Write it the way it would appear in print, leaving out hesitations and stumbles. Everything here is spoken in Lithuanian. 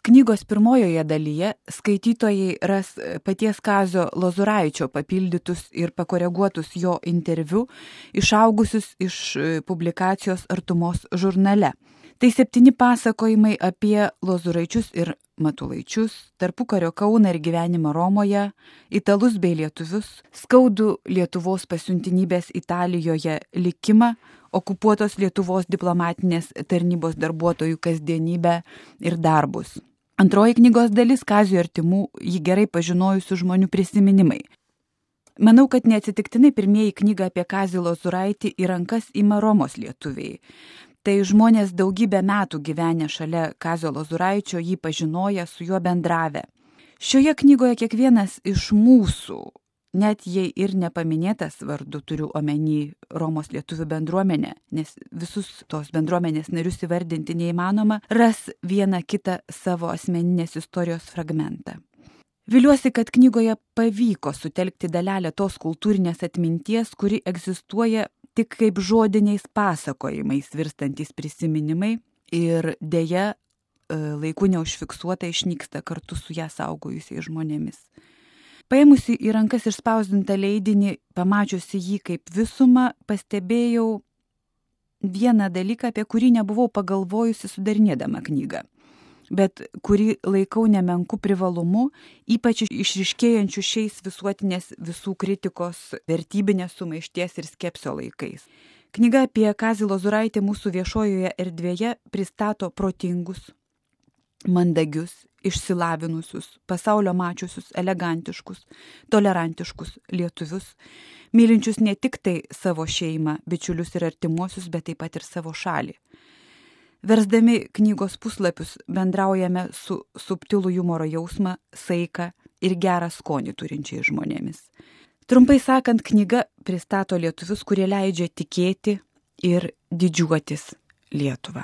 Knygos pirmojoje dalyje skaitytojai ras paties Kazio Lozoraičio papildytus ir pakoreguotus jo interviu, išaugusius iš publikacijos Artumos žurnale. Tai 7 pasakojimai apie Lozoraičius ir Matulaičius, tarpukario Kauną ir gyvenimą Romoje, italus bei lietuvius, skaudų Lietuvos pasiuntinybės Italijoje likimą, okupuotos Lietuvos diplomatinės tarnybos darbuotojų kasdienybę ir darbus. Antroji knygos dalis Kazio artimų, jį gerai pažinojusių žmonių prisiminimai. Manau, kad neatsitiktinai pirmieji knygą apie Kazį Lozuraitį į rankas ima Romos lietuviai. Tai žmonės daugybę metų gyvenę šalia Kazio Lozuraičio, jį pažinoję, su juo bendravę. Šioje knygoje kiekvienas iš mūsų, net jei ir nepaminėtas vardu, turiu omeny Romos lietuvių bendruomenę, nes visus tos bendruomenės narius įvardinti neįmanoma, ras vieną kitą savo asmeninės istorijos fragmentą. Viliuosi, kad knygoje pavyko sutelkti dalelę tos kultūrinės atminties, kuri egzistuoja tik kaip žodiniais pasakojimais virstantys prisiminimai ir deja laiku neužfiksuota išnyksta kartu su ją saugojusiais žmonėmis. Paėmusi į rankas išspausdintą leidinį, pamačiusi jį kaip visumą, pastebėjau vieną dalyką, apie kurį nebuvau pagalvojusi sudarinėdama knygą, bet kurį laikau nemenku privalumu, ypač išryškėjančių šiais visuotinės visų kritikos, vertybinės sumaišties ir skepsio laikais. Knyga apie Kazį Lozuraitį mūsų viešojoje erdvėje pristato protingus, mandagius, išsilavinusius, pasaulio mačiusius, elegantiškus, tolerantiškus lietuvius, mylinčius ne tik tai savo šeimą, bičiulius ir artimuosius, bet taip pat ir savo šalį. Versdami knygos puslapius bendraujame su subtilų humoro jausmą, saiką ir gerą skonį turinčiai žmonėmis. Trumpai sakant, knyga pristato lietuvius, kurie leidžia tikėti ir didžiuotis Lietuva.